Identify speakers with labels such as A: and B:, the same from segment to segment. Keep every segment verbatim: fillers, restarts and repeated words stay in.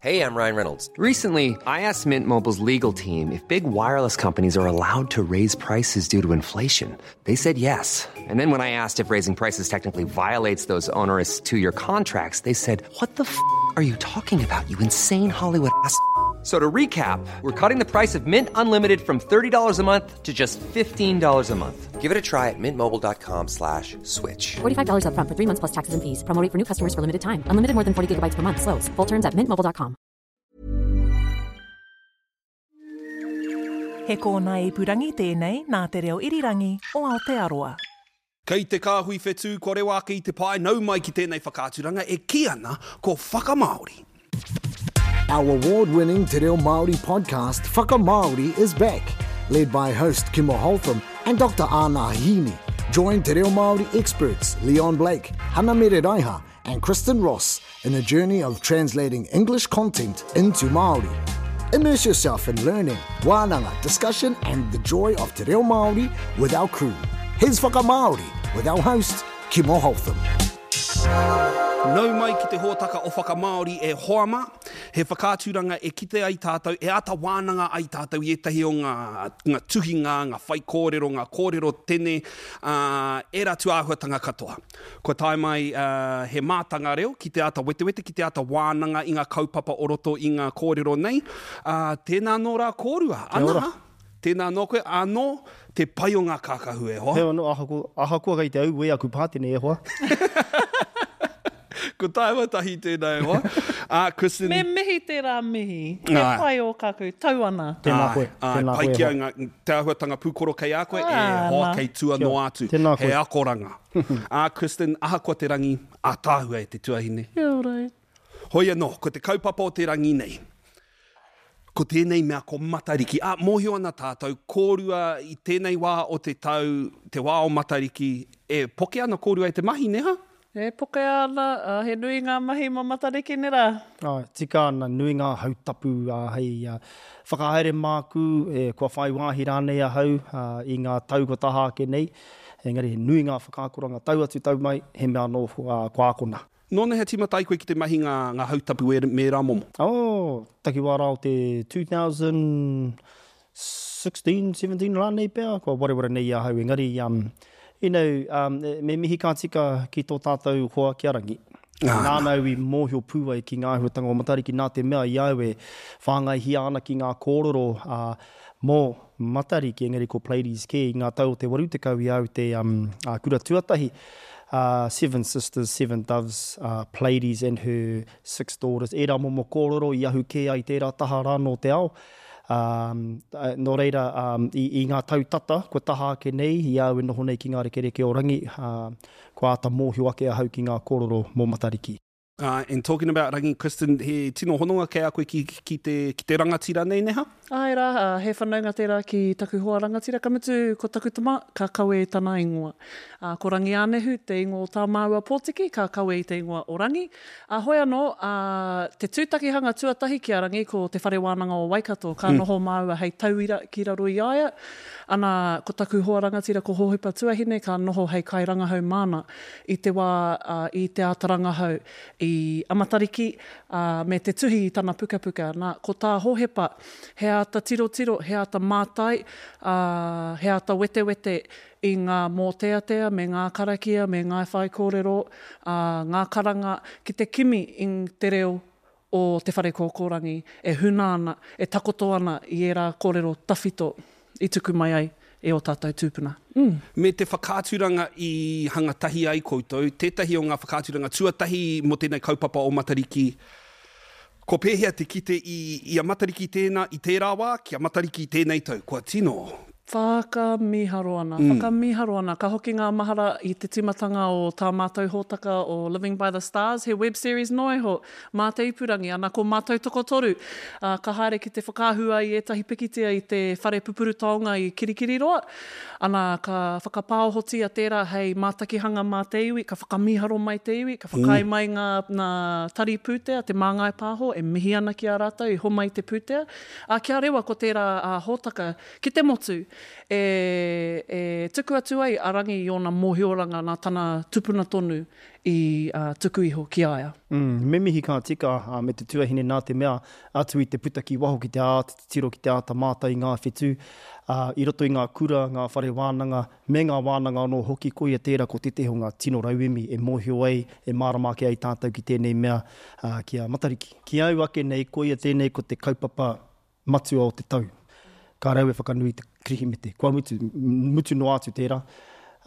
A: Hey, I'm Ryan Reynolds. Recently, I asked Mint Mobile's legal team if big wireless companies are allowed to raise prices due to inflation. They said yes. And then when I asked if raising prices technically violates those onerous two-year contracts, they said, "What the f*** are you talking about? You insane Hollywood ass." So to recap, we're cutting the price of Mint Unlimited from thirty dollars a month to just fifteen dollars a month. Give it a try at mintmobile.com slash switch.
B: forty-five dollars up front for three months plus taxes and fees. Promo rate for new customers for limited time. Unlimited more than forty gigabytes per month. Slows full terms at mint mobile dot com.
C: He kōna ipurangi tēnei nā te reo irirangi o Aotearoa.
D: Kei te kāhui whetū kua rewa ake i te pae nau mai ki tēnei whakaaturanga e kī ana ko Whakamāori.
E: Our award-winning Te Reo Māori podcast, Whakamāori, is back, led by host Kimo Holtham and Doctor Ana Hini. Join Te Reo Māori experts Leon Blake, Hana Mere Raiha and Kristen Ross in a journey of translating English content into Māori. Immerse yourself in learning, wānanga, discussion and the joy of Te Reo Māori with our crew. Here's Whakamāori with our host, Kimo Holtham.
D: Nau mai ki te hōtaka o Whakamāori e hoa mā, he whakaaturanga e kite ai tātou, e āta wānanga ai tātou i ētahi o ngā, ngā tuhinga, ngā whaikōrero, ngā kōrero tene, uh, e rā tūāhuatanga katoa. Kua tae mai uh, he mātanga reo ki te āta wetewete, ki te āta wānanga i ngā kaupapa o roto i ngā kōrero nei. Uh, tēnā nō rā kōrua. Ana, tēnā nō koe, anō te pai o ngā kākahu e hoa.
F: He anō, ahakoa, ahakoa kei te au e aku pātene e hoa.
D: Ko taewa tahi tēnā e hoa. Uh, Kristen...
G: Me mihi tērā mihi. He
D: Ai.
G: pai o kaku, tau ana.
F: Tēnā koe.
D: Ai,
F: Tēnā
D: pai
F: koe e
D: ki au
F: hoa.
D: ngā, te āhuatanga pūkoro kei a koe, e
G: Ā,
D: hoa
G: nā.
D: kei tua
F: Kia ora.
D: noa atu.
F: Tēnā koe.
D: He akoranga. Ā, Kristen, ahakoa te rangi, ātaahua e te tuahine.
G: Kia ora e.
D: Hoi anō, ko te kaupapa o te rangi nei. Ko tēnei mea ko Matariki. Ā, mōhio ana tātou, kōrua i tēnei wā o te tau, te wā o Matariki, e poke ana kōrua e te mahi, neha?
G: E poke ana, uh, he nui ngā mahi mō Matariki ne rā.
F: Ai, tika ana, nui ngā hautapu uh, hei uh, whakahaere māku, e, kua whai wāhi rānei ahau uh, i ngā tau kua taha ake nei. Engari, he nui ngā whakaakoranga tau atu tau mai, he mea anō uh, kua akona.
D: Nōna he tīmata ai koe ki te mahi ngā, ngā hautapu e me rā momo?
F: Oh, takiwā rā o te two thousand sixteen, seventeen rānei pea, kua wareware nei ahau. Engari, um, you know, um, me mihi ka tika ki tō tātou hoa ki a Rangi.
D: Ah,
F: Nāna au i mōhio pū ai ki ngā āhuatanga o Matariki, nā te mea i au e whāngaihia ana ki ngā kōrero uh, mō Matariki, engari ko Pleiades kē i ngā tau o te waru tekau i au te um, uh, kura tuatahi. Uh, seven sisters, seven doves, uh, Pleiades and her six daughters. Ērā momo kōrero i ahu kē ai tērā taha rā nō te ao. Um, uh, nō reira, um, i, i ngā tau tata, kua taha ake nei, i au e noho nei ki ngā rekereke o Rangi, uh, kua āta mōhio ake ahau ki ngā kōrero mō Matariki.
D: Uh, and talking about Rangi, Kristen, he tino hononga kei a koe ki, ki, te, ki te rangatira nei, neha?
G: Ai rā, uh, he whanaunga tērā ki taku hoa rangatira, ka mutu ko taku tama, ka kawe i tana ingoa. Uh, ko Rangi Ānehu, te ingoa o tā māua pōtiki, ka kawe i te ingoa o Rangi. Uh, hoi anō, uh, te tūtakihanga tuatahi ki a Rangi ko te whare wānanga o Waikato, ka
D: Mm.
G: noho māua hei tauira ki raro i aia. Ana, ko taku hoa rangatira ko Hohepa Tuahine, ka noho hei kairangahau māna i te wā, uh, i te ātarangahau i Amatariki, uh, me te tuhi i tana pukapuka. Nā, ko tā Hohepa, he āta tirotiro, he āta mātai, uh, he āta wetewete i ngā mōteatea, me ngā karakia, me ngā whaikōrero, uh, ngā karanga, ki te kimi i te reo o te whare kōkōrangi, e huna ana, e takoto ana i ērā kōrero tawhito i tuku mai ai e o tātou tūpuna. Mm.
D: Me te whakaaturanga i hanga tahi ai koutou, tētahi o ngā whakaaturanga tuatahi mō tēnei kaupapa o Matariki, ko pēhea te kite i, i a Matariki tēnā, i tērā wā, ki a Matariki tēnei tau, kua tino.
G: Whakamiharo ana,
D: Mm.
G: whakamiharo ana. Ka hoki ngā mahara i te tīmatanga o tā mātou hōtaka o Living by the Stars, he web series noa iho, mā te ipurangi, ana ko mātou tokotoru. Uh, ka haere ki te whakaahua i ētahi pikitia i te whare pupuru taonga i Kirikiriroa. Ana ka whakapāohotia tērā hei mātakihanga mā te iwi, ka whakamiharo mai te iwi, ka whakaae
D: Mm.
G: mai ngā, ngā tari pūtea, te māngai pāho, e mihi ana ki a rātou, i homai te pūtea. A kia rewa ko tērā uh, hōtaka ki te motu, E, e tuku atu ai a Rangi i ōna mōhioranga nā tana tupuna tonu i uh, tuku iho ki a ia.
F: Mm, me mihi ka tika uh, me te tuahine nā te mea atu i te puta ki waho ki te āta titiro ki te āta mātai i ngā whetū, uh, i roto i ngā kura, ngā whare wānanga, me ngā wānanga anō hoki, koia tērā ko tētehi o ngā tino rauemi e mōhio ai, e mārama ake ai tātou ki tēnei mea uh, ki a Matariki. Ki au ake nei, koia tēnei ko te kaupapa matua o te tau. Ka rau e whakanui te Kirihimete. Kua mutu, mutu noa atu tērā.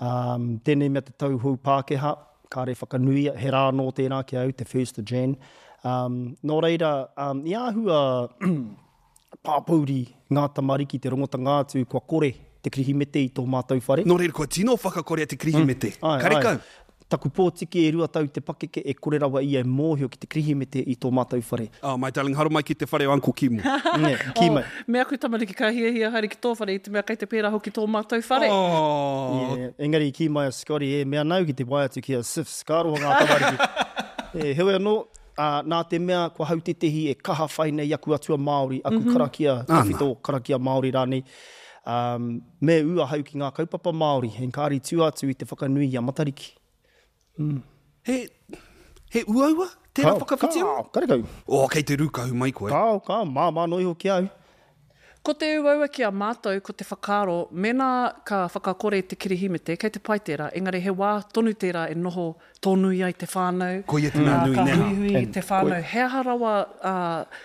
F: Um, tēnei mea te tau hou Pākehā, kāre whakanuia, he rā anō tērā ki au, te first of Jan. Um, nō reira, um, i āhua pāpouri ngā tamariki te rongotanga atu kua kore te Kirihimete i tō mātou whare.
D: Nō reira, kua tino whakakorea te Kirihimete.
F: Mm, ai,
D: Karekau.
F: ai. Taku pōtiki e rua tau te pakeke e kore rawa ia e mōhio ki te Kirihimete i tō mātou whare.
D: Oh, my darling, haere mai ki te whare o Uncle Kimo.
F: Ne, kī mai.
G: Oh, me aku tamariki ka hiahia haere ki tō whare i te mea kei te pērā hoki tō mātou whare.
D: Oh.
F: Yeah, engari i kī mai a Scotty, e mea nau ki te wae atu ki a Sifs, ka aroha ngā tamariki. E, heoi anō, uh, nā te mea kua hau tētehi e kaha whai nei aku atua Māori, aku mm -hmm. karakia, tawhito karakia Māori rānei, um, me ū ahau ki ngā kaupapa Māori, engari tua atu i te whakanui i a Matariki.
D: Mm. He, he uaua tērā whakawhitinga?
F: Kao, karekau.
D: Oh, kei te rūkahu mai koe.
F: Kao, kao, māmā noa iho ki au.
G: Ko te uaua ki a mātou, ko te whakaaro, mēnā ka whakakore te Kirihimete, kei te pai tērā, engari he wā tonu tērā e noho tōnui ai te whānau.
D: Koia te mea nui,
G: Ka
D: nē.
G: huihui te whānau. He aha rawa uh,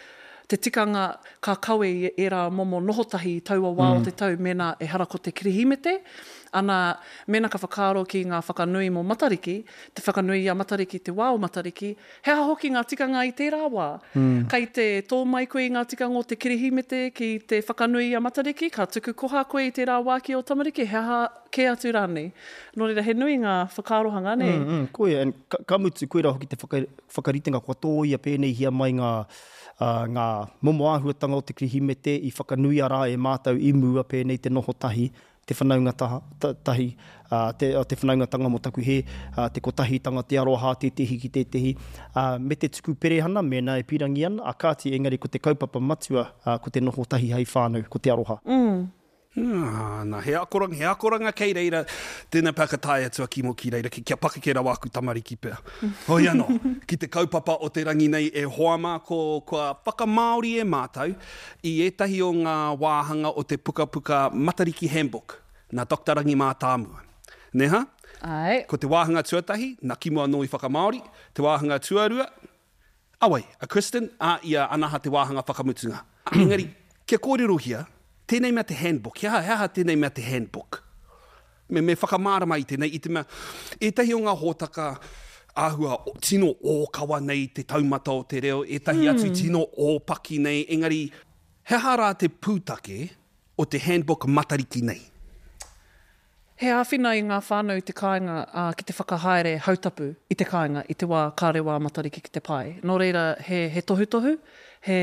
G: te tikanga ka kawe i ērā momo nohotahi i taua wā mm. o te tau mēnā ehara ko te Kirihimete. Ana, mēnā ka whakaaro ki ngā whakanui mō Matariki, te whakanui i a Matariki, te wā o Matariki, he aha hoki ngā tikanga i tērā wā. Mm. Kei te tō mai koe i ngā tikanga o te Kirihimete ki te whakanui i a Matariki, ka tuku koha koe i tērā wā ki o tamariki, he aha kē atu rānei. Nō reira, he nui ngā whakaarohanga, nē?
F: Mm, mm, koia, and ka, ka mutu, koira hoki te whaka, whakaritenga kua tōia pēneihia mai ngā, uh, ngā momo āhuatanga o te Kirihimete i whakanuia rā e mātou i mua pēnei te noho tahi, te whanaunga taha, ta, tahi, uh, te, te whanaungatanga mō taku he, uh, te kotahitanga, te aroha, tētehi ki tētehi, uh, me te tuku perehana, mēnā e pīrangi ana, a kāti, engari ko te kaupapa matua, uh, ko te noho tahi hei whānau, ko te aroha.
G: Mm.
D: Ah, nā, he akoranga, he akoranga kei reira, tēnā pea ka tae atu a Kimo ki reira, ki, kia pakeke rawa aku tamariki pea. Hoi anō, ki te kaupapa o te rangi nei e hoa mā, ko, kua whakamāori e mātou i ētahi o ngā wāhanga o te pukapuka Matariki Handbook, nā Doctor Rangi Mātāmua. Neha?
G: Ai.
D: Ko te wāhanga tuatahi, nā Kimo anō i whakamāori, te wāhanga tuarua, awai, a Kristen, a ia Anaha te wāhanga whakamutunga. Engari, kia kōrerohia, tēnei mea te handbook, he aha, he aha tēnei mea te handbook? Me, me whakamārama i tēnei, i te mea, ētahi o ngā hōtaka āhua tino ōkawa nei te taumata o te reo, ētahi mm. atu tino ōpaki nei, engari, he aha rā te pūtake o te handbook Matariki nei?
G: He āwhina i ngā whānau i te kāinga uh, ki te whakahaere hautapu i te kāinga i te wā ka rewa Matariki ki te pae. Nō reira, he, he tohutohu, he,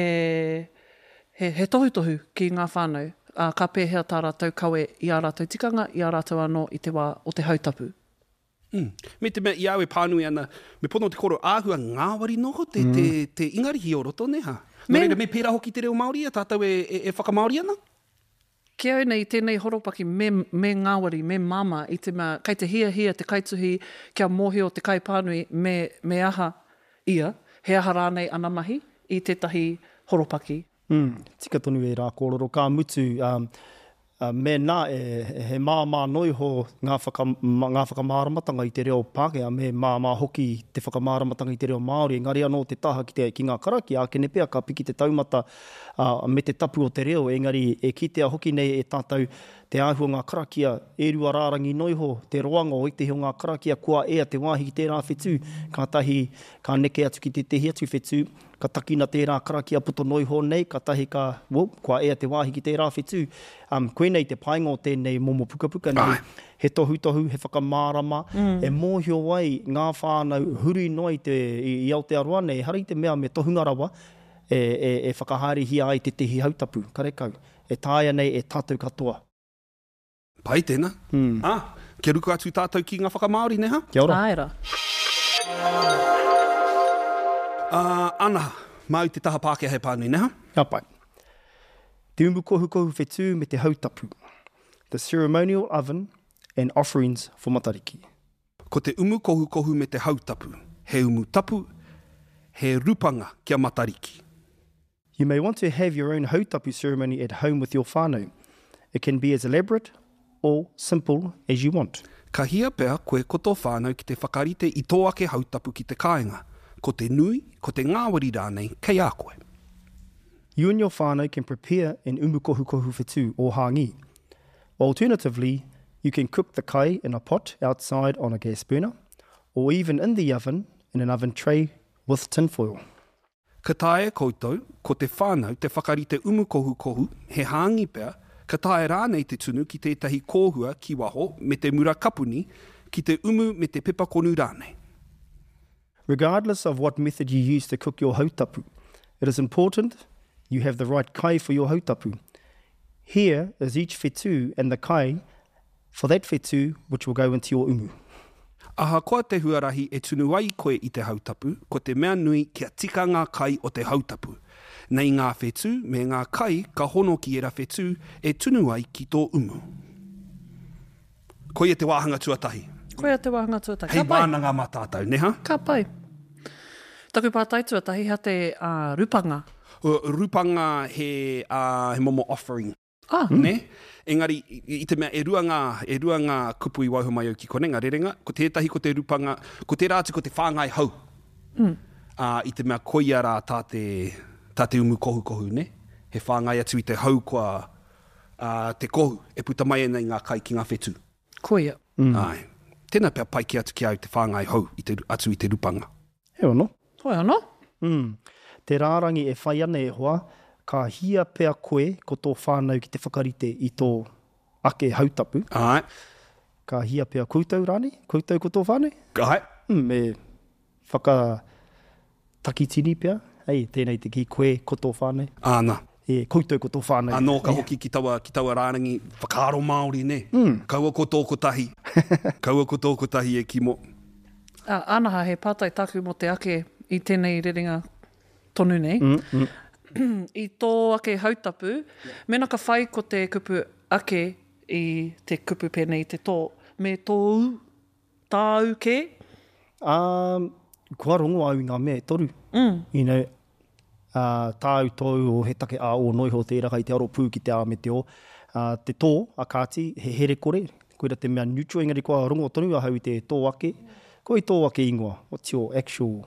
G: he, he tohutohu ki ngā whānau, uh, ka pēhea tā rātou kawe i ā rātou tikanga, i ā rātou anō i te wā o te hautapu.
D: Mm. Me te mea i au e pānui ana, me pono te koro āhua ngāwari noho te, mm. te, te Ingarihi o roto, neha. Nō reira, me pērā hoki te reo Māori a tātou e, e, e whakamāori ana?
G: Ki au nei, tēnei horopaki me, me ngāwari, me māmā, i te mea, kei te hiahia te kaituhi kia mōhio te kaipānui me, me aha ia, he aha rānei ana mahi i tētahi horopaki.
F: Mm, tika tonu e rā kōrero, ka mutu, um, uh, mēnā e, he māmā noa iho ngā, whaka, ngā whakamāramatanga i te reo Pākehā, me māmā hoki te whakamāramatanga i te reo Māori, engari anō te taha ki, te, ki ngā karakia, ākene pea ka piki te taumata uh, me te tapu o te reo, engari e kitea hoki nei e tātou te āhua ngā karakia, e rua rārangi noa iho, te roanga o ētehi o ngā karakia, kua ea te wāhi ki tērā whetū, kātahi ka neke atu ki tētehi atu whetū, ka takina tērā karakia poto noa iho nei, kātahi ka, whoop, kua ea te wāhi ki tērā whetū. Um, koinei te painga o tēnei momo pukapuka nei, he tohutohu, he whakamārama, mm. e mōhio ai ngā whānau huri noa i, te, i, i Aotearoa nei, ehara i te mea me tohunga rawa e, e, e whakahaerehia ai tētehi hautapu, karekau, e taea nei e tātou katoa.
D: Pai tēnā. Mm. Ah, kia ruku atu tātou ki ngā whakamāori, neha?
F: Kia ora.
G: Āera.
D: Uh, Anaha, māu te taha Pākehā he pānui, neha?
F: Ka pai. Te umu kohukohu whetū me te hautapu. the ceremonial oven and offerings for Matariki.
D: Ko te umu kohukohu me te hautapu. He umu tapu, he rupanga kia Matariki.
F: You may want to have your own hautapu ceremony at home with your whānau. It can be as elaborate or simple as you want.
D: Ka hia pea koe ko tō whānau ki te whakarite i tō ake hautapu ki te kāinga. Ko te nui, ko te ngāwari rānei, kei a koe.
F: You and your whānau can prepare an umu kohukohu whetū or hāngī. Alternatively, you can cook the kai in a pot outside on a gas burner, or even in the oven in an oven tray with tinfoil.
D: Ka taea koutou, ko te whānau te whakarite umu kohukohu, he hāngī pea, ka taea rānei te tunu ki tētahi kōhua ki waho me te mura kapuni, ki te umu me te pepakonu rānei.
F: Regardless of what method you use to cook your hautapu, it is important you have the right kai for your hautapu. Here is each whetū and the kai for that whetū which will go into your umu.
D: Ahakoa te huarahi e tunu ai koe i te hautapu, ko te mea nui kia tika ngā kai o te hautapu. Nei ngā whetū me ngā kai ka hono ki era whetū e tunu ai ki tō umu. Koia te wāhanga tuatahi.
G: Koia te wāhanga tuatahi.
D: Hei
G: Ka pai.
D: wānanga mā tātou, ne ha?
G: Ka pai. Taku pātai tuatahi, hea te uh, rupanga?
D: Uh, rupanga he, uh, he momo offering.
G: Ah.
D: Ne? Engari, i, i te mea, e rua ngā, e rua ngā kupu i waiho mai au ki konei, ngā rerenga, ko tētahi ko te rupanga, ko tērā atu ko te whāngai hau. Mm. Uh, i te mea koia rā tā te, tā te umu kohukohu, ne? He whāngai atu i te hau kua uh, te kohu, e puta mai ana i ngā kai ki ngā whetū.
G: Koia.
D: Mm. Ai. Tēnā pea pai ki atu ki au te whāngai hau i te, atu i te rupanga.
F: He ono.
G: Hoi anō?
F: Mm. Te rārangi e whai ana e hoa, ka hia pea koe ko tō whānau ki te whakarite i tō ake hautapu.
D: Ai.
F: Ka hia pea koutou rānei? Koutou ko tō whānau?
D: Ai.
F: Mm, me whakatakitini pea. Hei, tēnei te ki koe ko tō whānau.
D: Āna.
F: E, koutou ko tō whānau.
D: Anō ka hoki ki taua, ki taua rārangi whakaaro Māori, ne? Mm. Kaua ko tō kotahi. Kaua ko tō kotahi e kimo.
G: Ah, anaha, he pātai tāku mō te ake i tēnei rerenga tonu nei. Mm, mm. I tō ake hautapu, mena ka whai ko te kupu ake i te kupu pēnei i te tō, me tōu, tāu ke?
F: Um, kua rongo au i ngā mea e toru. Mm. You know, uh, tāu tōu o he take a o noiho tērā kai te aro pū ki te a me te o. Uh, te tō, a kāti, he here kore, koira te mea neutral, engari kua rongo tonu ahau i te tō ake. Ko i tō ake ingoa, what's your actual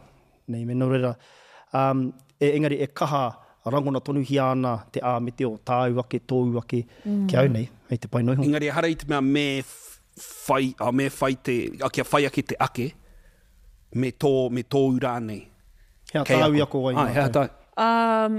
F: name? Nō reira, um, e, engari e kaha rangona tonuhia ana te a me te o, tāu ake, tōu ake, mm. ki au nei, hei te pai noiho.
D: Engari ehara i te mea me whai, a, me whai te, a, kia whai ake te ake, me tō, me tōu rānei.
F: Hea
D: Kei
F: tāu i
D: ako.
F: ako ai
D: Ai, hea
F: mātou.
D: tāu.
G: Um,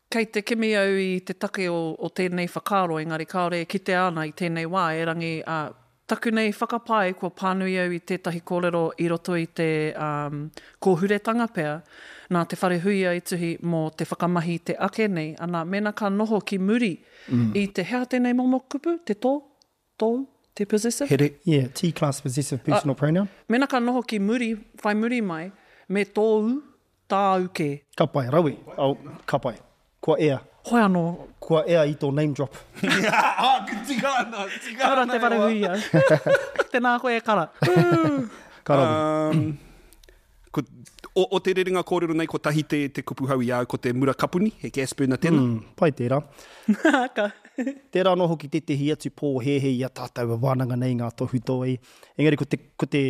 G: kei te kimi au i te take o, o tēnei whakaaro, engari kāore e kitea ana i tēnei wā, erangi uh, taku nei whakapae kua pānui au i tētahi kōrero i roto i te um, kōhuretanga pea, nā te wharehuia i tuhi mō te whakamahi i te ake nei, ana mena ka noho ki muri mm. i te hea tēnei momo kupu, te tō, tōu, te possessive.
D: Here.
F: Yeah, T-class possessive personal uh, pronoun.
G: Mena ka noho ki muri, whai muri mai, me tōu, tāu ke.
F: Ka pai, rawe. Oh, ka pai. Kua ea.
G: Hoi anō.
F: Kua ea i tō name drop.
D: Ah, tika ana, tika
G: Kara
D: ana
G: te
D: e hoa.
G: wharehuia. Tēnā koe e kara.
F: Ka rawe.
D: Um, ko, o, o te rerenga kōrero nei, ko tahi te, te kupu hau i au, ko te mura kapuni, he gas burner tēnā.
F: Mm, pai tērā.
G: Ka.
F: Tērā anō hoki tētehi atu pōhēhē i a tātou e wānanga nei ngā tohu tō ei. Engari ko te, ko te,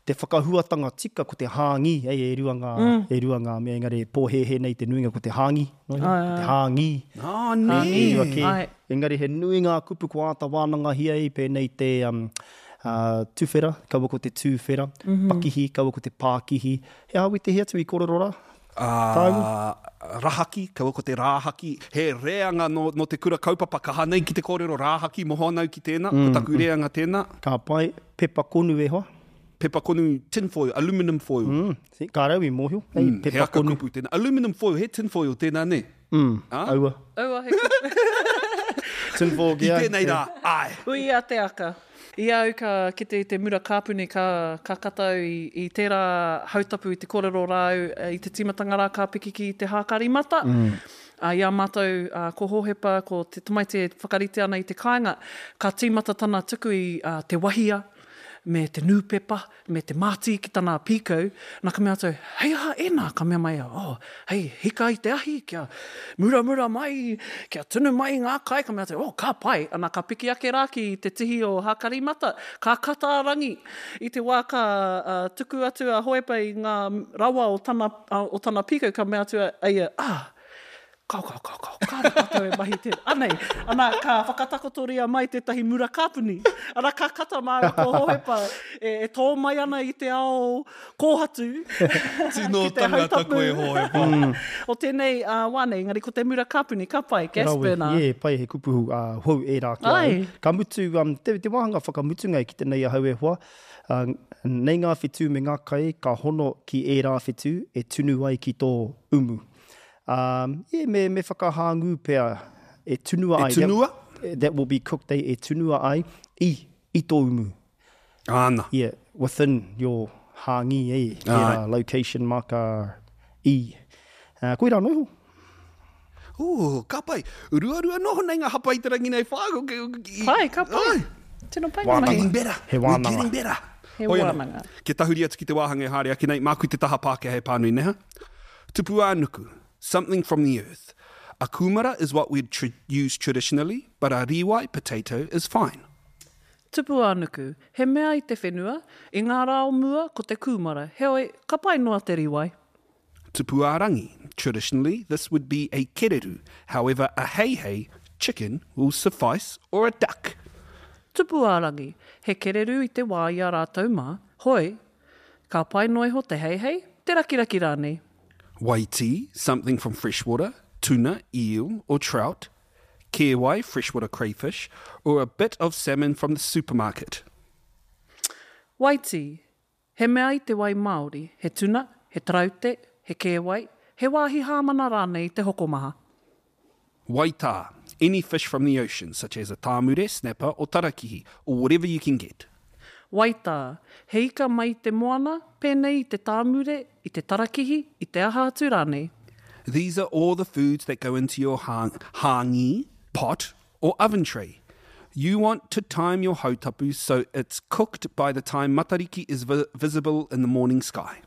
F: te whakahuatanga tika, ko te hāngi, ei, e rua ngā, mm. e rua ngā mea, engari pōhēhē nei te nuinga ko te hāngi, no, ko te hāngi.
D: Ah, nē.
F: E rua kē.
G: Ai.
F: Engari he nui ngā kupu kua āta wānangahia i pēnei te um, uh, tuwhera, kaua ko te tūwhera, mm -hmm. pakihi, kaua ko te pākihi. He aha witehi atu i kōrero rā?
D: Uh, rahaki, kaua ko te rāhaki. He reanga no, no te kura kaupapa kaha nei ki te kōrero rāhaki, moho anau ki tēnā, mm, ko taku reanga tēnā.
F: Ka pai, pepa konu e hoa.
D: Pepa konu tin foil, aluminum foil.
F: Mm, see, ka rau i mōhio. Hey,
D: Mm,
F: pepa
D: he aka
F: konu.
D: kupu tēnā. Aluminum foil, he tin foil tēnā, ne?
F: Mm,
D: Ah?
F: aua.
G: Aua, he kupu.
F: Tin foil
D: Ki
F: ki au.
D: tēnei rā, ai.
G: Uia te aka. I au ka kite i te mura kāpuni ka, ka katau i, i tērā hautapu i te kōrero rāu i te tīmatanga rā ka piki ki te hākari mata. Mm. Ā, i a mātou, ā, ko Hōhepa, ko te tamaiti e whakarite ana i te kāinga, ka tīmata tana tuku i, ā, te wahia, me te nūpepa, me te mātī ki tana pīkau, na ka mea atu, hei aha ēnā? Ka mea mai ia, oh, hei hika i te ahi, kia muramura mai, kia tunu mai i ngā kai, ka mea atu, oh, ka pai, ana ka piki ake rā ki te tihi o Hākarimata, ka kata a Rangi, i te wā ka uh, tuku atu a Hohepa i ngā rawa o tana, o tana pīkau, ka mea atu a ia, ah, Kao, kao, kao, kao, kāre tātou e mahi tēnā. Anei, ana, ka whakatakotoria mai tētahi mura kāpuni. Ana, ka kata māua ko Hohepa e, e tō mai ana i te ao kōhatu.
D: Tino
G: ki te
D: tangata
G: hautapu.
D: koe, Hohepa.
F: Mm.
G: O tēnei uh, wā nei, engari ko te mura kāpuni, ka pai, gas
F: Rawe,
G: burner.
F: yeah, pai he kupu uh, hou ērā ki a au.
G: Ai.
F: Ka mutu, um, te, te wāhanga whakamutunga e kite nei ahau e hoa, uh, nei ngā whetū me ngā kai ka hono ki ērā whetū e tunu ai ki tō umu. Um, yeah, me, me whakahāngū pea e tunua
D: E
F: ai.
D: tunua?
F: That, that will be cooked, eh, e tunua ai i, i tō umu.
D: Āna.
F: Yeah, within your hāngi, eh,
D: Ai.
F: tērā location marker i. Uh, koirā noa iho.
D: Ooh, ka pai. Ruarua noho nei ngā hapa i te rangi nei whā.
G: Pai, ka pai.
D: Ai.
G: Tino pai ngā
F: Wānanga.
G: mahi.
D: Getting better.
F: He
D: We're
F: wānanga.
D: getting better.
G: He
D: Hoi anō.
G: wānanga.
D: Kia tahuri atu ki te wāhanga e haere ake nei, māku te taha Pākehā e pānui neha. Tupu ā-nuku, something from the earth. A kūmara is what we'd tra use traditionally, but a rīwai potato is fine.
G: Tupu ā-nuku, he mea i te whenua, i ngā rā o mua ko te kūmara, heoi, ka pai noa te rīwai.
D: Tupu ā-rangi, traditionally this would be a kereru, however a heihei, chicken, will suffice, or a duck.
G: Tupu ā-rangi, he kereru i te wā i a rātou mā, hoi, ka pai noa iho te heihei, te rakiraki rānei.
D: Waitī, something from freshwater, tuna, eel, or trout. Kēwai, freshwater crayfish, or a bit of salmon from the supermarket.
G: Waitī, he mea i te wai Māori, he tuna, he taraute, he kēwai, he wāhi hāmana rānei i te hokomaha.
D: Waitā, any fish from the ocean, such as a tāmure, snapper, or tarakihi, or whatever you can get.
G: Waitā, he ika mai i te moana, pēnei i te tāmure, i te tarakihi, i te aha atu rānei.
D: These are all the foods that go into your hang- hāngi, pot, or oven tray. You want to time your hautapu so it's cooked by the time matariki is vi- visible in the morning sky.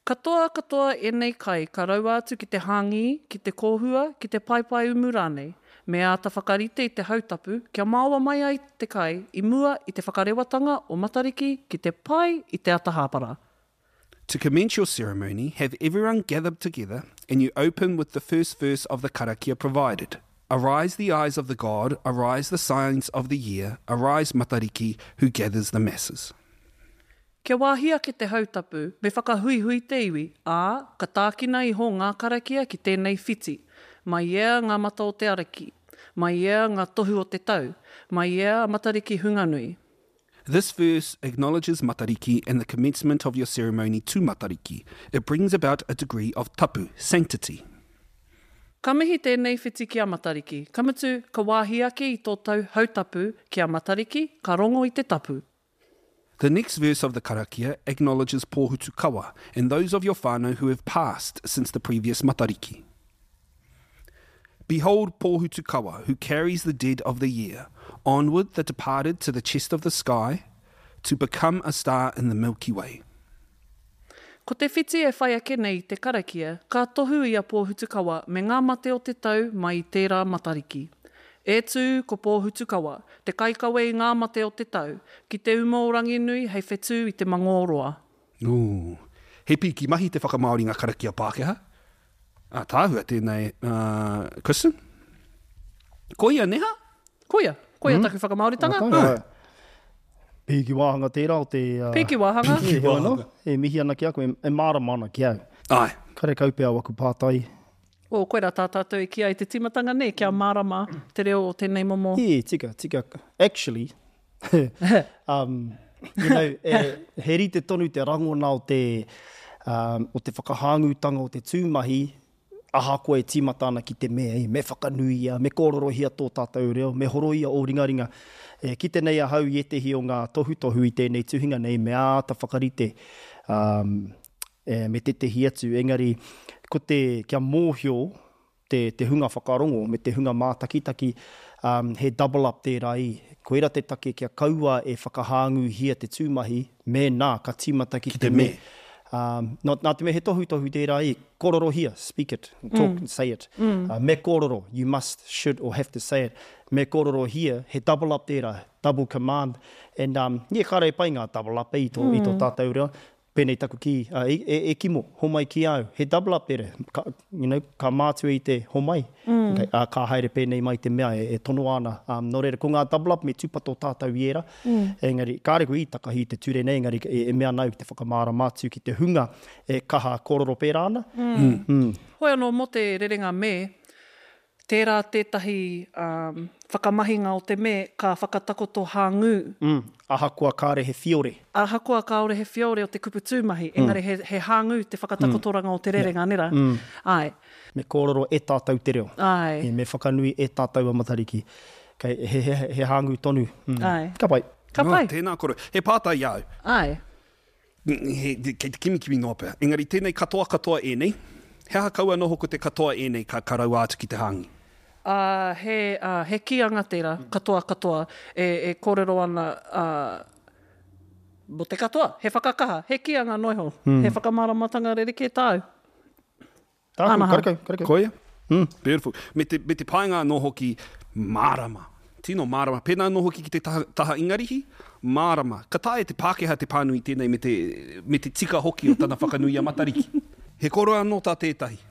G: Katoa katoa ēnei kai ka raua atu ki te hāngī, ki te kōhua, ki te paepae umu rānei. Me āta whakarite i te hautapu kia māoa mai ai te kai i mua i te whakarewatanga o Matariki ki te pai i te ata hāpara.
D: To commence your ceremony, have everyone gathered together and you open with the first verse of the karakia provided. Arise the eyes of the god, arise the signs of the year, arise Matariki who gathers the masses.
G: Kia wāhi ake te hautapu, me whakahuihui te iwi, ā, ka tākina iho ngā karakia ki tēnei whiti. Mai ea ngā mata o te ariki, mai ea ngā tohu o te tau, mai ea a Matariki hunganui.
D: This verse acknowledges Matariki and the commencement of your ceremony to Matariki. It brings about a degree of tapu, sanctity.
G: Ka mihi tēnei whiti ki a Matariki, ka mutu, ka wāhi ake i tō tau hautapu ki a Matariki, ka rongo i te tapu.
D: The next verse of the karakia acknowledges Pōhutukawa and those of your whānau who have passed since the previous Matariki. Behold Pōhutukawa, who carries the dead of the year, onward the departed to the chest of the sky, to become a star in the Milky Way.
G: Ko te whiti e whai ake nei i te karakia, ka tohu i a Pōhutukawa me ngā mate o te tau mai i tērā Matariki. E tū ko Pōhutukawa, te kaikawe i ngā mate o te tau, ki te uma o Ranginui hei whetū i te mangōroa.
D: Ooh. He piki mahi te whakamāori ngā karakia Pākehā. Ā, tāhua tēnei, uh, Kristen? Koia, neha?
G: Koia, koia mm. taku whakamāoritanga.
F: Ā, Pīki wāhanga tērā o te... Uh,
G: Pīki wāhanga.
F: Pīki wāhanga. E mihi ana ki a koe, e mārama ana ki au.
D: Ai.
F: Kare kau pea waku pātai.
G: O, koirā tā tātou i ki ai te tīmatanga nei, kia mārama te reo o tēnei momo.
F: Yeah, tika, tika. Actually, um, you know, e, he rite tonu te rangona o te, um, o te whakahāngūtanga o te tūmahi, ahakoa e tīmata ana ki te mea, e, me whakanuia, me kōrorohia tō tātou reo, me horoia o ringaringa. E, kite nei ahau i ētehi o ngā tohutohu i tēnei tuhinga nei, me āta whakarite um, e, me tētehi atu. Engari, ko te kia mōhio, te, te hunga whakarongo me te hunga mātakitaki, um, he double up tērā i. Koira te take kia kaua e whakahāngūhia te tūmahi, mēnā ka tīmata ki, ki te me. Um, nā, nā te mea he tohutohu tērā i, kōrorohia, speak it, talk mm. and say it. Mm. Uh, me kōroro, you must, should or have to say it. Me kōrorohia, he double up tērā, double command. And um, yeah, kāre e pai ngā double up e i tō, mm. i tō tātou reo. Pēnei taku kī, uh, e, e, e kimo, homai ki au, he double up tērā, ka, you know, ka mātua i te homai, mm. okay, uh, ka haere pēnei mai te mea e, e tono ana. Um, nō reira, ko ngā double up me tūpato tātou i ērā, mm. engari, kāre koe i takahi i te ture nei, engari e, e mea nau te whakamārama atu ki te hunga e kaha kōrero pērā ana.
G: Mm. Mm. Hoi anō mō te rerenga me, tērā tētahi um, whakamahinga o te me ka whakatakoto hāngū.
F: Mm. Ahakoa kāre he whiore.
G: Ahakoa kāore he whiore o te kupu tūmahi, mm. engari he, he hāngū te whakatakotoranga mm. o te rerenga, yeah. nera? Mm. Ai.
F: Me kōrero e tātou te reo.
G: Ai.
F: E, me whakanui e tātou a Matariki. Kei, he, he, he hāngū tonu. Mm.
G: Ai.
F: Ka pai.
G: Ka pai.
D: No, tēnā koro. He pātai au.
G: Ai.
D: He, kei te kimikimi noa pea. Engari tēnei katoa katoa ēnei. He aha kaua noho ko te katoa ēnei ka, ka raua atu ki te hāngi?
G: Uh, he, uh, he kīanga tērā, katoa katoa, e, e kōrero ana uh, mo te katoa, he whakakaha, he kīanga noiho, mm. he whakamāramatanga rerekē tāu.
F: Tāku, karekau, karekau.
D: Koia? Mm. Beautiful. Me te, me te painga anō hoki mārama. Tino mārama. Pēnā anō hoki ki te taha, taha Ingarihi, mārama. Ka taea te Pākehā te pānui tēnei me te, me te tika hoki o tana whakanui a Matariki. He koro anō tā tētahi.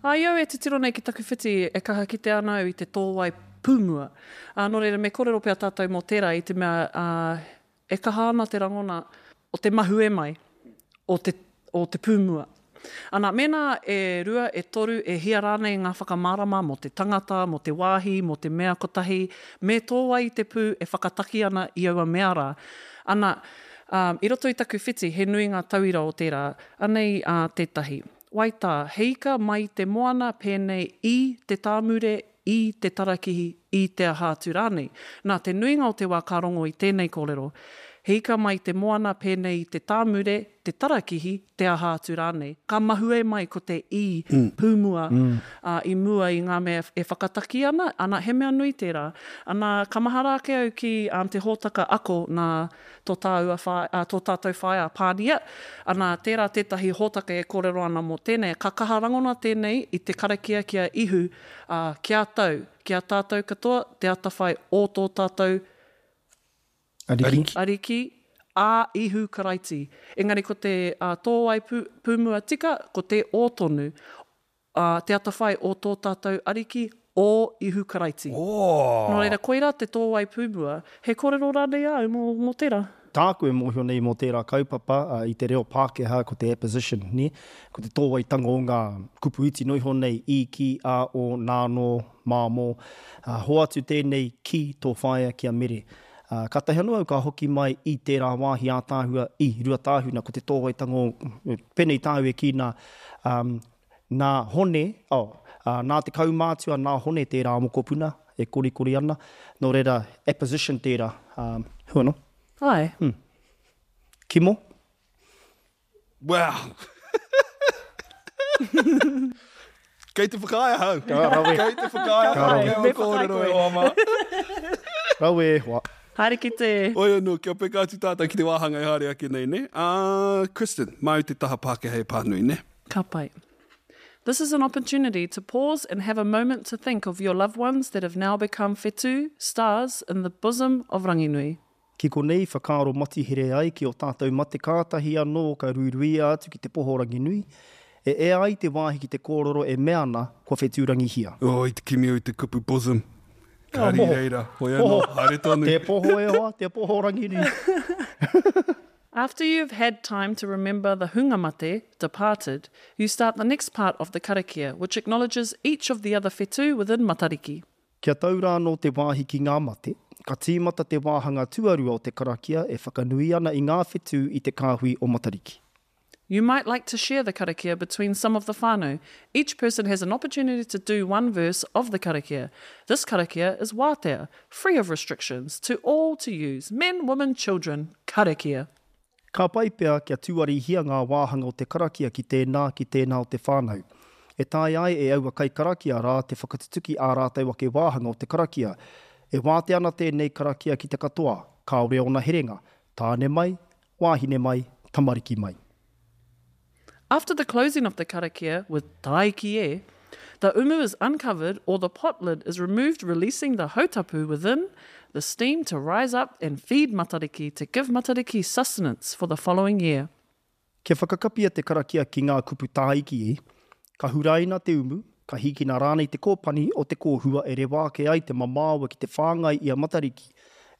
G: Ai au e titiro nei ki taku whiti e kaha kite ana au i te tōwai pūmua. Uh, nō reira, me kōrero pea tātou mō tērā i te mea uh, e kaha ana te rangona o te mahue mai, o te, o te pūmua. Ana, mēnā e rua, e toru, e hia rānei ngā whakamārama mō te tangata, mō te wāhi, mō te mea kotahi, me tōwai i te pū e whakataki ana i aua mea rā. Ana, um, i roto i taku whiti, he nui ngā tauira o tērā, anei uh, tētahi. Waitā, he ika mai te moana pēnei i te tāmure, i te tarakihi, i te aha atu rānei. Nā, te nuinga o te wā ka rongo i tēnei kōrero. He ika mai te moana pēnei i te tāmure, te tarakihi, te aha atu rānei. Ka mahue mai ko te i mm. pūmua mm. Uh, i mua i ngā mea e whakataki ana, ana he mea nui tērā. Ana, ka mahara ake au ki um, te hōtaka ako nā tō, tāua wha, uh, tō tātou whaea Pānia. Ana, tērā tētahi hōtaka e kōrero ana mō tēnei. Ka kaha rangona tēnei i te karakia ki a Ihu, uh, kia tau, kia tātou katoa, te atawhai o tō tātou
F: Ariki.
G: Ariki, a Ihu Karaiti. Engari ko te uh, tōwai pū, pūmua tika, ko te o tonu, uh, te atawhai o tō tātou ariki, o Ihu Karaiti.
D: Oh.
G: Nō reira, koirā te tōwai pūmua. He kōrero rānei au mō, mō tērā?
F: Tāku e mōhio nei mō tērā kaupapa uh, i te reo Pākehā ko te apposition, ne? Ko te tōwaitanga o ngā kupu iti noiho nei, i, ki, a, o, nā, nō, mā, mō. Uh, hoatu tēnei ki tō whaea ki a Mere. Uh, kātahi anō au ka hoki mai i tērā wāhi ātāhua i Ruatāhuna, ko te tōwaitanga o, pēnei tāu e ki nā, um, nā Hone, oh, uh, nā te kaumātua, nā Hone tērā mokopuna e korikori ana, nō reira apposition tērā, um, hua no?
G: Ai.
F: Hmm. Kimo?
D: Wow. Kei te whakaea hau.
F: Ka rawe.
D: Kei te whakaea hau.
G: Ka
D: Kei kōrero e hoa mā.
F: Rawe e hoa.
G: Haere ki te...
D: Oi anō, kia peka atu tātou ki te wāhanga e haere ake nei, ne? Uh, Kristen, māu te taha Pākehā e pānui, ne?
G: Ka pai. This is an opportunity to pause and have a moment to think of your loved ones that have now become whetū, stars, in the bosom of Ranginui.
F: Ki konei whakaaro matihere ai ki o tātou mate kātahi anō ka ruiruia atu ki te poho Ranginui, e ea ai te wāhi ki te kōrero e mea ana kua whetūrangihia.
D: Oh, i te kimi au te kupu bosom. Kāri reira, hoi anō, haere tonu.
F: Te poho e hoa, te poho Ranginui.
G: After you've had time to remember the hunga mate, departed, you start the next part of the karakia, which acknowledges each of the other whetū within Matariki.
F: Kia tau rā anō te wāhi ki ngā mate, ka tīmata te wāhanga tuarua o te karakia e whakanui ana i ngā whetū i te kāhui o Matariki.
G: You might like to share the karakia between some of the whānau. Each person has an opportunity to do one verse of the karakia. This karakia is wātea, free of restrictions, to all to use, men, women, children, karakia.
F: Ka pai pea kia tuarihia ngā wāhanga o te karakia ki tēnā, ki tēnā o te whānau. E taea ai e aua kaikarakia rā te whakatutuki ā rātou ake wāhanga o te karakia. E wātea ana tēnei karakia ki te katoa, kāore ōna herenga, tāne mai, wāhine mai, tamariki mai.
G: After the closing of the karakia with Tāiki e, the umu is uncovered or the pot lid is removed releasing the hautapu within the steam to rise up and feed Matariki to give Matariki sustenance for the following year.
F: Kia whakakapia te karakia ki ngā kupu tāiki e, ka huraina te umu, ka hīkina rānei te kōpani o te kōhua e rewa ake ai te mamaoa ki te whāngai i a Matariki,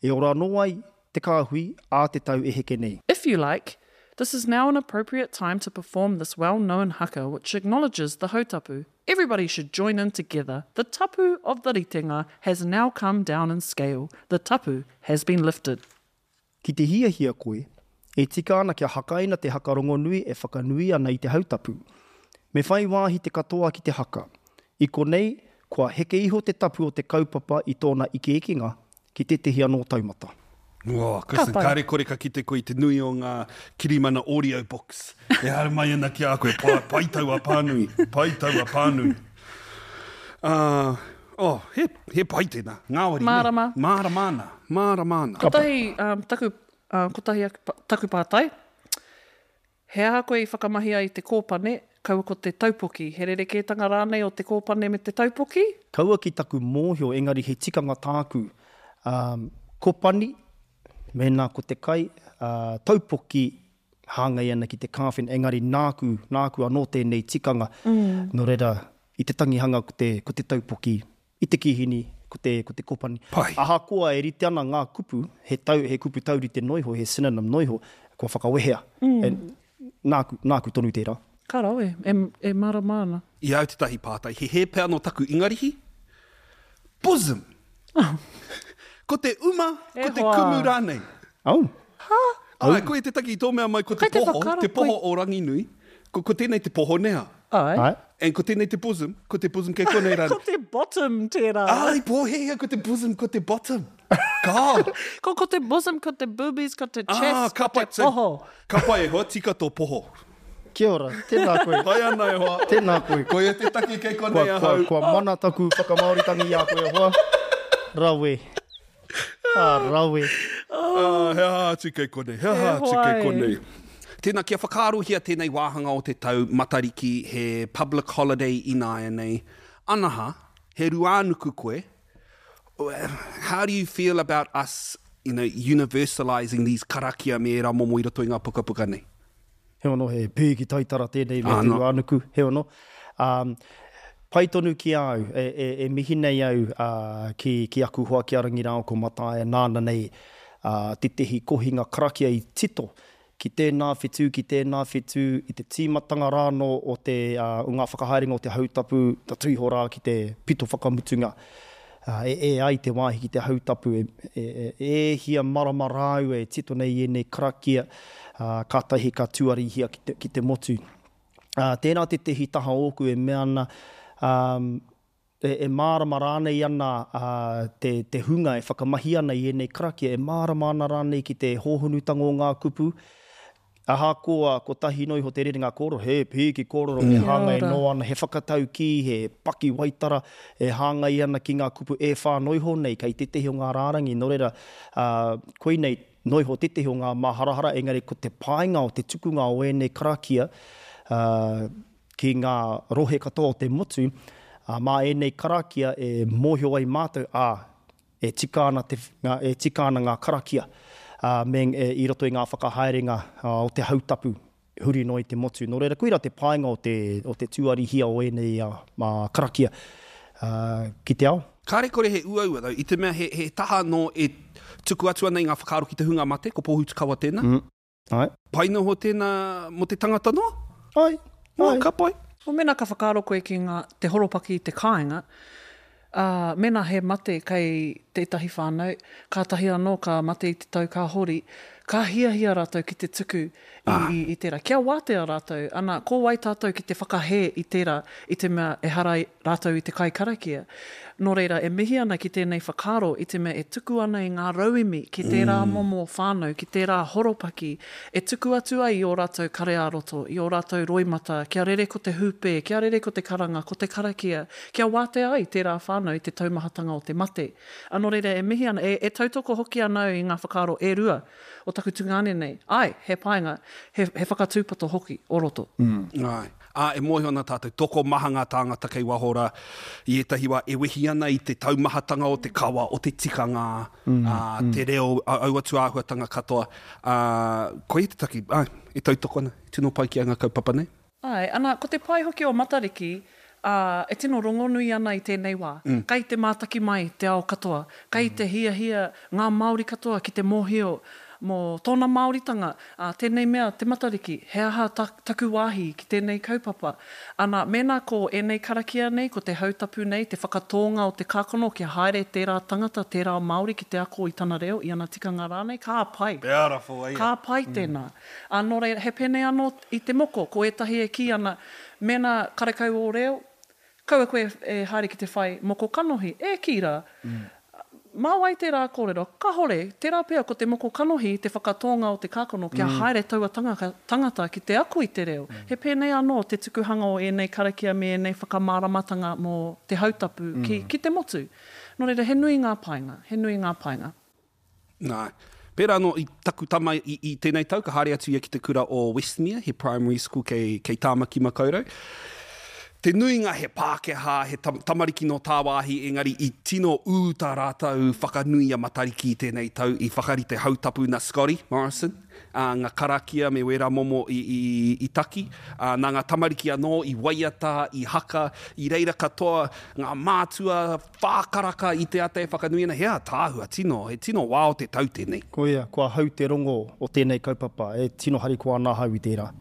F: e ora anō ai te kāhui ā te tau e heke nei.
G: If you like, this is now an appropriate time to perform this well-known haka which acknowledges the hautapu. Everybody should join in together. The tapu of the ritenga has now come down in scale. The tapu has been lifted.
F: Ki te hiahia koe, e tika ana kia hakaina te haka rongonui e whakanui ana i te hautapu. Me whai wāhi te katoa ki te haka. I konei, kua heke iho te tapu o te kaupapa i tōna ikeekenga ki tētehi anō taumata.
D: Oh, Kristen, kāre kore ka kite koe i te nui o ngā kirimana audio books e haere mai ana ki a koe. Pai, pai taua pānui, pai taua pānui. Uh, oh, he, he pai tēnā, ngāwari.
G: Mārama.
D: Ne? Mārama ana, mārama ana.
G: Kotahi, um, taku, uh, kotahi aku, taku pātai. He aha koe i whakamahi ai te kōpane, kaua ko te taupoki? He rerekētanga rānei o te kōpane me te taupoki?
F: Kaua ki taku mōhio, engari he tikanga tāku. Um, kopani, mēnā ko te kai, uh, taupoki hāngai ana ki te kāwhena, engari nāku, nāku anō tēnei tikanga.
G: Mm.
F: Nō reira, i te tangihanga ko te, ko te taupoki, i te kīhini, ko te, ko te kopani.
D: Pai.
F: Ahakoa e rite ana ngā kupu, he, tau, he kupu taurite noiho, he synonym noiho, kua whakawehea.
G: Mm.
F: E, nāku, nāku tonu tērā.
G: Ka rawe, e, e mārama ana.
D: I au tētahi pātai, he hē pea nō taku Ingarihi? Bosom!
G: Oh.
D: Ko te uma,
G: E
D: ko te
G: hoa.
D: kumu rānei.
F: Oh.
G: Ha?
D: Ai, koe te taki i tō mea mai ko te
G: Kai te
D: poho,
G: whakaaro
D: te poho
G: koe.
D: o Ranginui. Ko, ko tēnei te poho neha.
G: Ai.
F: Ai.
D: And ko tēnei te bosom, ko te bosom kei konei rānei.
G: Ko te bottom tērā.
D: Ai, pōhēhea, ko te bosom, ko te bottom. Ka.
G: Ko, ko te bosom, ko te boobies, ko te chest,
D: Ah, ka
G: ko te
D: pai, so-
G: poho.
D: Ka pai e hoa, tika tō poho.
F: Kia ora, tēnā koe.
D: Pai ana e hoa.
F: Tēnā koe.
D: Koia te taki kei
F: Kua,
D: konei
F: kua,
D: ahau.
F: kua mana taku whakamāoritangi i a koe e hoa. Rawe. Ah, rawe.
D: Ah, he aha atu kei konei, he aha
G: E
D: atu kei
G: hoa e.
D: konei. Tēnā, kia whakaarohia tēnei wāhanga o te tau Matariki, he public holiday ināianei. Anaha, he ruānuku koe. How do you feel about us, you know, universalising these karakia me ērā momo i roto i ngā pukapuka nei?
F: He ono, he pīki taitara tēnei me
D: Ah,
F: te
D: no.
F: ruānuku, he ono. Um, pai tonu ki a au, e, e, e mihi nei au uh, ki, ki aku hoa ki a Rangi rāua ko Mataia nāna nei uh, tētehi kohinga karakia i tito ki tēnā whetū, ki tēnā whetū, i te tīmatanga rānō o, te, uh, o ngā whakahaerenga o te hautapu, ta tuiho rā ki te pito whakamutunga. Uh, e, e ai te wāhi ki te hautapu, e, e, e, e hia marama rāu e tito nei i ēnei karakia, uh, kātahi ka tuarihia ki te, ki te motu. Uh, tēnā tētehi taha ōku e mea ana, um, e, e mārama rānei ana uh, te, te hunga e whakamahi ana i ēnei karakia, e mārama ana rānei ki te hōhonutanga o ngā kupu. Ahakoa kotahi noiho te rerenga kōrero, he pīki kōrero e hāngai
G: Kia ora.
F: noa ana, he whakataukī, he paki waitara, e hāngai ana ki ngā kupu e whā noiho nei, kei tētehi o ngā rārangi, nō reira, uh, koinei noiho tētehi o ngā maharahara, engari ko te painga o te tukunga o ēnei karakia, uh, ki ngā rohe katoa o te motu, uh, mā ēnei karakia e mōhio ai mātou, ā, e tika ana, te, ngā, e tika ana ngā karakia, uh, me, e, i roto i ngā whakahaerenga uh, o te hautapu huri noa i te motu. Nō reira, koira te painga o te, o te tuarihia o ēnei uh, mā karakia uh, ki te ao.
D: Kāre kore he uaua, though, i te mea he, he taha nō e tuku atu ana i ngā whakaaro ki te hunga mate, ko Pōhutukawa tēnā.
F: Mm. Ai.
D: Pai noho tēnā mō te tangata noa?
F: Ai.
D: Oh,
F: Ai.
D: ka pai.
G: O mēnā ka whakaaro koe ki ngā, te horopaki i te kāinga, uh, mēnā he mate kei tētahi whānau, kātahi anō ka mate i te tau ka hori, Ka hiahia rātou ki te tuku i, i, i tērā. Kia wātea rātou, ana, ko wai tātou ki te whakahē i tērā, i te mea ehara rātou i te kaikarakia. Nō reira, e mihi ana ki tēnei whakaaro i te mea e tuku ana i ngā rauemi ki tērā mm. momo whānau, ki tērā horopaki, e tuku atu ai i ō rātou kare ā-roto, i ō rātou roimata, kia rere ko te hūpē, kia rere ko te karanga, ko te karakia, kia wātea ai tērā whānau i te taumahatanga o te mate. A nō reira, e mihi ana, e, e tautoko hoki ana au i ngā whakaaro e rua o taku tungāne nei. Āe, he painga, he, he whakatūpato hoki o roto.
D: Mm. Āe. Ā, e mōhio ana tātou, tokomaha ngā tāngata kei waho rā, i ētahi wā e wehi ana i te taumahatanga o te kawa, o te tikanga, mm, ā, mm. te reo, aua tūāhuatanga katoa. Ā, koia te take, āe, e tautoko ana, e tino pai ki a ngā kaupapa nei.
G: Āe, ana, ko te pai hoki o Matariki, ā, e tino rongonui ana i tēnei wā. Mm. Kei te mātaki mai te ao katoa, kei mm. te hiahia ngā Māori katoa ki te mōhio mō tōna Māoritanga, ā, tēnei mea, te Matariki, he aha ta, taku wāhi ki tēnei kaupapa? Ana, mēnā ko ēnei karakia nei, ko te hautapu nei, te whakatōnga o te kākano kia haere tērā tangata, tērā Māori ki te ako i tana reo, i ana tikanga rānei, ka pai.
D: Beautiful,
G: ia. Ka pai tēnā. Mm. Ā, nō reira, he pēnei anō i te moko, ko ētahi e kī ana, mēnā karekau ō reo, kaua koe e haere ki te whai moko kanohi, e kī rā. Mm. Mā wai tērā kōrero? Kahore, tērā pea ko te moko kanohi te whakatōnga o te kākano kia mm. haere taua tangaka, tangata ki te ako i te reo. Mm. He pēnei anō te tukuhanga o ēnei karakia me ēnei whakamāramatanga mō te hautapu mm. ki, ki te motu. Nō reira, he nui ngā painga, he nui ngā painga.
D: Nā. Pērā anō i taku tama i, i tēnei tau, ka haere atu ia ki te kura o Westmere, he primary school kei, kei Tāmaki Makaurau. Te nuinga he Pākehā, he tam, tamariki nō tāwāhi, engari i tino ū tā rātou whakanui a Matariki i tēnei tau, i whakarite hautapu nā Scotty Morrison, ā, ngā karakia me wērā momo i, i, i taki, ā, nā ngā tamariki anō i waiata, i haka, i reira katoa ngā mātua whā karaka i te ata e whakanui ana, he ātaahua, tino, he tino wā o te tau tēnei.
F: Koia, kua hau te rongo o tēnei kaupapa, e tino harikoa ana ahau i tērā.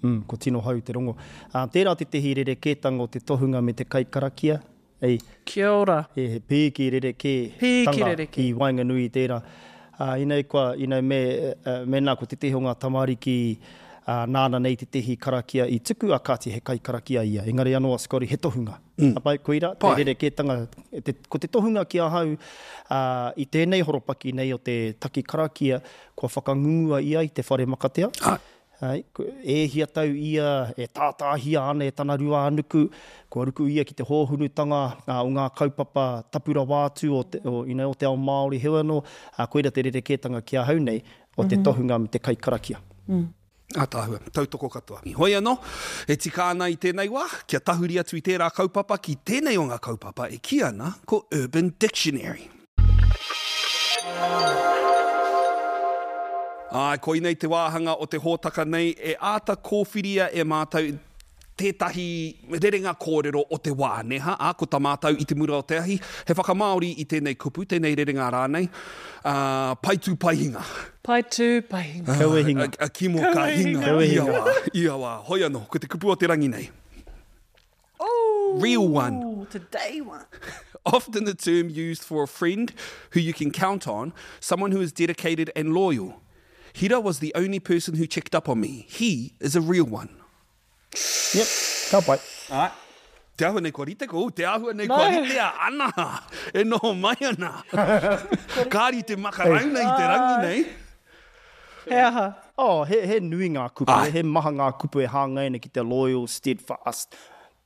F: Mm, ko tino hau te rongo. Ā, tērā tētehi rerekētanga o te tohunga me te kaikarakia. Ei,
G: Kia ora.
F: He, he pīki rerekē
G: Pīki
F: tanga
G: rerekē.
F: i waenganui i tērā. Ā, inei kua, you know, me, mēnā ko tētehi o ngā tamariki, ā, nāna nei tētehi karakia i tuku, ā, kāti he kaikarakia ia. Engari anō a Scotty, he tohunga. Mm. Pai, koira, te rerekētanga, te, ko te tohunga ki ahau, ā, i tēnei horopaki nei o te taki karakia, kua whakangungua ia i te whare makatea.
D: Ā.
F: Āe, e hia tau ia e tātāhia ana e tana ruānuku, kua ruku ia ki te hōhunutanga o ngā kaupapa tapu rawa atu o te, o, you know, o te ao Māori. Heoi anō, koira te rerekētanga ki ahau nei, o te tohunga me te kaikarakia.
G: Mm.
D: Ātaahua, tautoko katoa. Hoi anō, e tika ana i tēnei wā, kia tahuri atu i tērā kaupapa ki tēnei o ngā kaupapa e kī ana ko Urban Dictionary. Āe, koinei te wāhanga o te hōtaka nei e āta kōwhiria e mātou tētahi rerenga kōrero o te wā, nē hā? Ā, ko tā mātou i te mura o te ahi, he whakamāori i tēnei kupu, tēnei rerenga rānei, ā, pai tū pai hinga.
G: Pai tū, pai hinga.
F: Kaua e hinga.
D: A, a kimo ka hinga.
F: Kaua e
D: Ia
F: hinga.
D: wā, ia wā. Hoi anō, ko te kupu o te rangi nei.
G: Ooh,
D: Real one.
G: Today one.
D: Often the term used for a friend who you can count on, someone who is dedicated and loyal. Hira was the only person who checked up on me. He is a real one.
F: Yep, ka pai.
D: Alright. Te āhua nei kua rite ko, te āhua nei kua rite a Ana e noho mai ana. Ka rite makarauna i te rangi nei.
G: He aha?
F: Oh, he, he nui ngā kupu,
D: Ai.
F: he maha ngā kupu e hāngai ana ki te loyal, steadfast,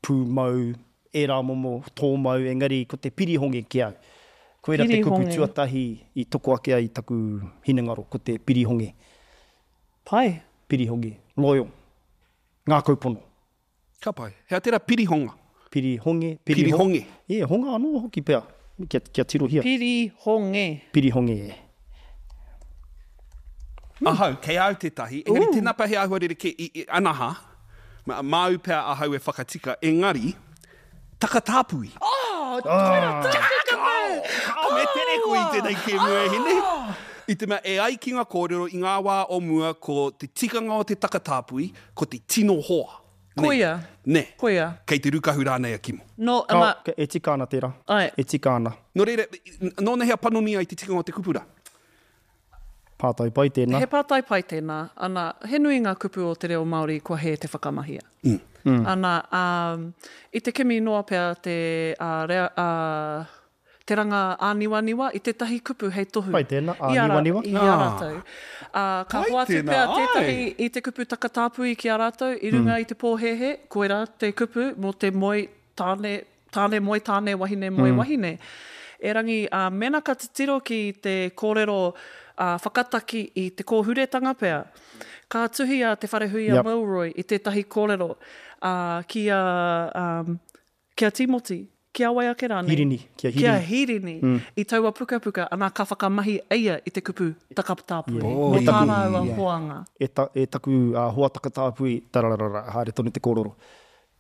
F: pūmau, ērā momo tōmau, engari ko te pirihonge ki au. Koira te kupu
G: Pirihonge.
F: tuatahi i toko ake ai taku hinengaro, ko te pirihonge.
G: Pai.
F: Pirihonge, loyal, ngākau pono.
D: Ka pai. Hea tērā pirihonga?
F: Pirihonge, pirihonge.
D: Pirihonge.
F: E, honga anō hoki pea, kia, kia tirohia.
G: Pirihonge.
F: Pirihonge, e.
D: Ahau, kei au tētahi, engari tēnā pea he āhua rerekē i, i, anaha, māu pea ahau e whakatika, engari, takatāpui.
G: Oh, koira tākaka me!
D: Kao, me tere koe i tēnei kēmu e hine. I te mea, e ai ki ngā kōrero i ngā wā o mua ko te tikanga o te takatāpui, ko te tino hoa. Ne.
G: Koia.
D: Ne.
G: Koia.
D: Kei te rukahu rānei a Kimo.
G: No,
F: Kao,
G: ana,
F: e tika ana tērā.
G: Ai.
F: E tika ana.
D: Nō reira, nōna hea panoni ai te tikanga o te kupu rā?
F: Pātai pai tēnā.
G: He pātai pai tēnā. Ana, he nui ngā kupu o te reo Māori kua hē te whakamahia. Mm. Mm. Ana, um, i te kimi noa pea te, uh, rea, uh, te ranga āniwaniwa i tētahi kupu hei tohu.
F: Pai tēnā, āniwaniwa.
G: I a rātou. Uh, ka hoatu pea tētahi i te kupu takatāpui ki a rātou i runga mm. i te pōhēhē, koirā te kupu mō te moe tāne, tāne moe tāne, wahine moe mm. wahine. Erangi, uh, mena ka titiro ki te kōrero uh, whakataki i te kōhuretanga pea, ka tuhi a Te Wharehuia yep. Milroy i tētahi kōrero uh, ki a, um, ki a Timoti, ki a wai ake rānei?
F: Hirini. Ki a Hirini.
G: Ki a Hirini. Mm. I taua pukapuka, ana ka whakamahi eia i te kupu takatāpui. Yeah. Oh, Mō tā rāua yeah. hoanga.
F: E, ta, e taku uh, hoa takatāpui, tararara, haere tonu te kōrero.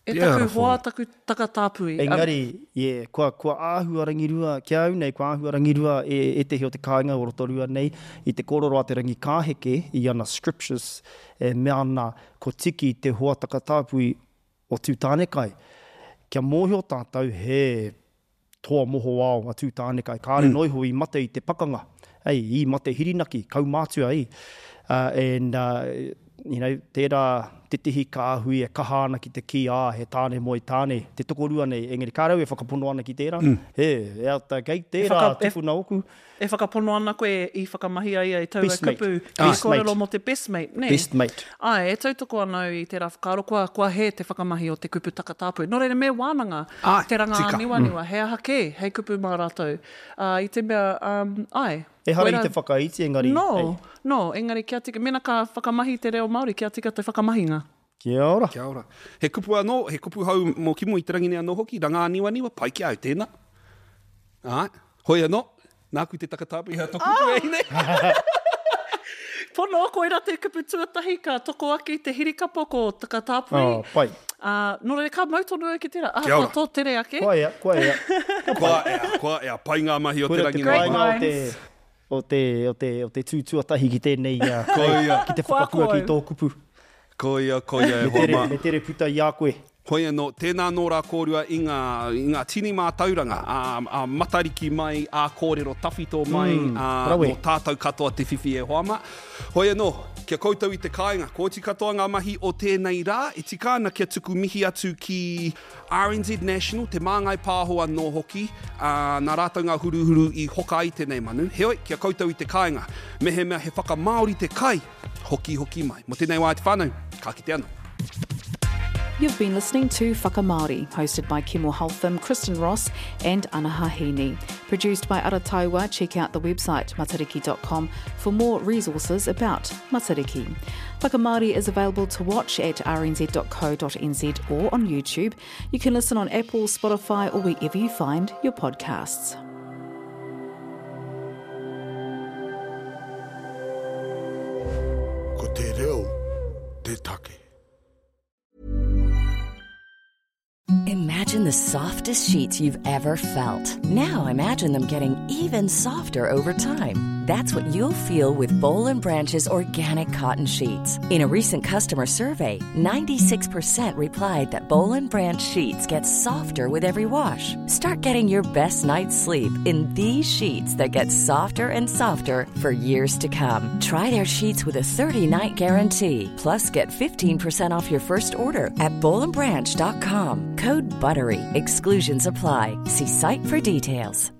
G: E taku hoa taku takatāpui.
F: Engari, yeah, kua, kua āhua rangirua, ki au nei, kua āhua rangirua e ētehi o te kāinga o Rotorua nei, i te kōrero a te Rangikāheke i ana scriptures, e mea ana ko Tiki te hoa takatāpui o Tūtānekai. Kia mōhio tātou he toa mohoao a Tūtānekai, kāre mm. noiho i mate i te pakanga, ei, i mate hirinaki, kaumātua, ei. Uh, and, uh, you know, tērā tētehi kāhui e kaha ana ki te kī, ā, he tāne moe tāne, te tokorua nei, engari kā rau e whakapono ana ki tērā, mm. he, e ata kei tērā whaka, tupuna oku.
G: E whakapono ana koe i whakamahi ai i taua best kupu, ki kōrero mō te best mate, ne?
F: Best mate.
G: Ai, e tautoko ana au i tērā whakaaro, kua, kua hē te whakamahi o te kupu takatāpui. Nō reira, me wānanga, ai, te ranga āniwaniwa, mm. he aha kē, hei kupu mā rātou. Uh, I te mea, um, ai,
F: Ehara i te whakaiti, engari.
G: No, hey. no, engari kia tika, mena ka whakamahi te reo Māori, kia tika te whakamahinga.
F: Kia ora.
D: Kia ora. He kupu anō, he kupu hou mō Kimo i te rangi nei anō hoki, ranga āniwaniwa, pai ki au tēnā. Ai, hoi anō, nāku te takatāpui hea tō kupu e hine.
G: Pono, koira te kupu tuatahi ka toko ake i te hirikapo ko takatāpui.
F: Oh, pai.
G: Uh, nō reira, ka mau tonu au ki tērā. Ah, kua tō tere ake.
F: Kua ea, kua ea.
D: Kua ea, kua ea, pai ngā mahi o te rangi nei.
F: Great minds. O te, o te, o te tū tuatahi ki tēnei, uh, ki te whakapua ki tō kupu.
D: Koia, koia e hoa mā.
F: Me tere puta i a koe.
D: Hoi anō, tēnā nō rā kōrua i ngā, i ngā tini mātauranga, a, a Matariki mai, a kōrero tawhito mai, mm, a, nō tātou katoa te whiwhi e hoa mā. Hoi anō, kia koutou i te kāinga, ko oti katoa ngā mahi o tēnei rā, e tika ana kia tuku mihi atu ki R N Z National, te māngai pāho anō hoki, a, nā rātou ngā huruhuru i hoka ai tēnei manu. Heoi, kia koutou i te kāinga, mehemea he whakamāori te kai, hoki hoki mai. Mō tēnei wā te whānau, ka kite anō.
H: You've been listening to Whakamāori, hosted by Kimo Holtham, Kristen Ross and Anaha Heaney. Produced by Arataiwa, check out the website matariki dot com for more resources about Matariki. Whakamāori is available to watch at r n z dot co dot n z or on YouTube. You can listen on Apple, Spotify or wherever you find your podcasts.
I: Ko te reo, te take.
J: Imagine the softest sheets you've ever felt. Now imagine them getting even softer over time. That's what you'll feel with Boll and Branch's organic cotton sheets. In a recent customer survey, ninety-six percent replied that Boll and Branch sheets get softer with every wash. Start getting your best night's sleep in these sheets that get softer and softer for years to come. Try their sheets with a thirty-night guarantee. Plus, get fifteen percent off your first order at boll and branch dot com. Code BUTTERY. Exclusions apply. See site for details.